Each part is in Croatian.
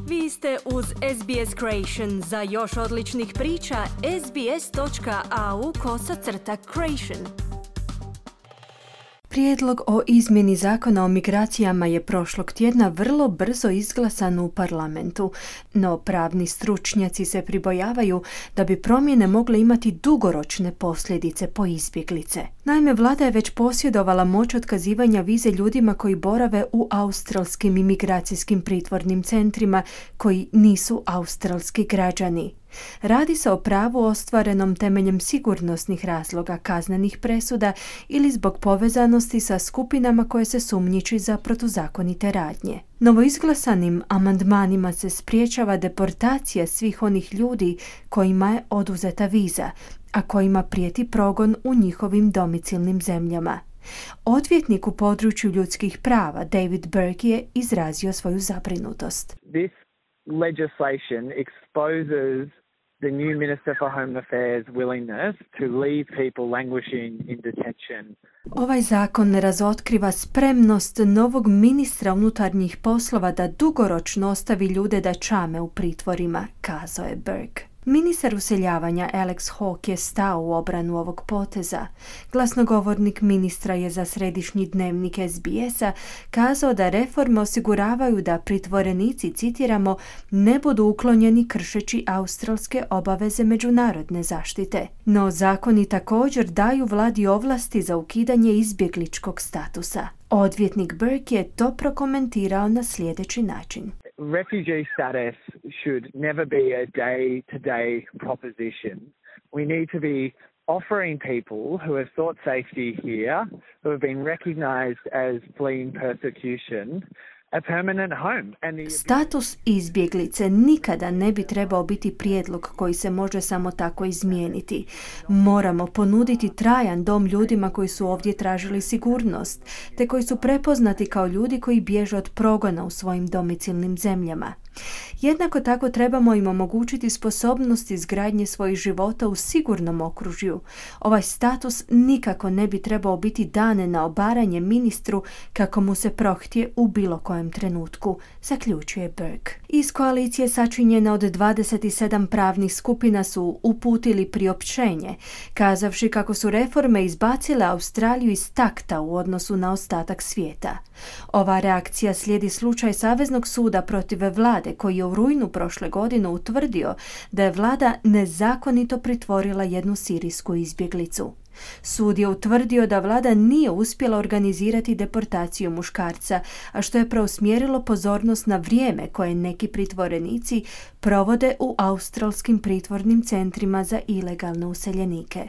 Vi ste uz SBS Creation. Za još odličnih priča, sbs.au/creation. Prijedlog o izmjeni zakona o migracijama je prošlog tjedna vrlo brzo izglasan u parlamentu, no pravni stručnjaci se pribojavaju da bi promjene mogle imati dugoročne posljedice po izbjeglice. Naime, vlada je već posjedovala moć otkazivanja vize ljudima koji borave u australskim imigracijskim pritvornim centrima koji nisu australski građani. Radi se o pravu ostvarenom temeljem sigurnosnih razloga, kaznenih presuda ili zbog povezanosti sa skupinama koje se sumnjiči za protuzakonite radnje. Novoizglasanim amandmanima se spriječava deportacija svih onih ljudi kojima je oduzeta viza, a kojima prijeti progon u njihovim domicilnim zemljama. Odvjetnik u području ljudskih prava David Burke je izrazio svoju zabrinutost. This legislation exposes the new Minister for Home Affairs' willingness to leave people languishing in detention. Ovaj zakon razotkriva spremnost novog ministra unutarnjih poslova da dugoročno ostavi ljude da čame u pritvorima, kazao je Burke. Ministar useljavanja Alex Hawke je stao u obranu ovog poteza. Glasnogovornik ministra je za središnji dnevnik SBS-a kazao da reforme osiguravaju da pritvorenici, citiramo, ne budu uklonjeni kršeći australske obaveze međunarodne zaštite. No zakoni također daju vladi ovlasti za ukidanje izbjegličkog statusa. Odvjetnik Burke je to prokomentirao na sljedeći način. Refugee status should never be a day-to-day proposition. We need to be offering people who have sought safety here, who have been recognized as fleeing persecution, a permanent home. Status izbjeglice nikada ne bi trebao biti prijedlog koji se može samo tako izmijeniti. Moramo ponuditi trajan dom ljudima koji su ovdje tražili sigurnost, te koji su prepoznati kao ljudi koji bježe od progona u svojim domicilnim zemljama. Jednako tako trebamo im omogućiti sposobnost izgradnje svojih života u sigurnom okružju. Ovaj status nikako ne bi trebao biti dan na obaranje ministru kako mu se prohtje u bilo kojem trenutku, zaključuje Burke. Iz koalicije sačinjene od 27 pravnih skupina su uputili priopćenje, kazavši kako su reforme izbacile Australiju iz takta u odnosu na ostatak svijeta. Ova reakcija slijedi slučaj Saveznog suda protiv vlade koji je u rujnu prošle godine utvrdio da je vlada nezakonito pritvorila jednu sirijsku izbjeglicu. Sud je utvrdio da vlada nije uspjela organizirati deportaciju muškarca, a što je preusmjerilo pozornost na vrijeme koje neki pritvorenici provode u australskim pritvornim centrima za ilegalne useljenike.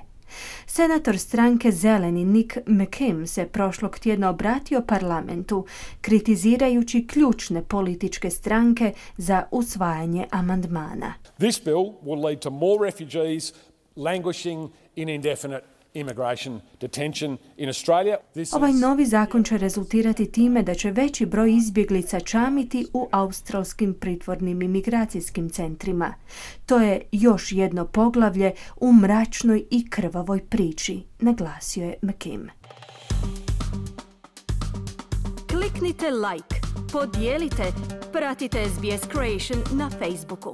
Senator stranke Zeleni Nick McKim se prošlog tjedna obratio parlamentu, kritizirajući ključne političke stranke za usvajanje amandmana. This bill will lead to more refugees languishing in indefinite immigration detention in Australia. Ovaj novi zakon će rezultirati time da će veći broj izbjeglica čamiti u australskim pritvornim imigracijskim centrima. To je još jedno poglavlje u mračnoj i krvavoj priči, naglasio je McKim. Kliknite like, podijelite, pratite SBS Creation na Facebooku.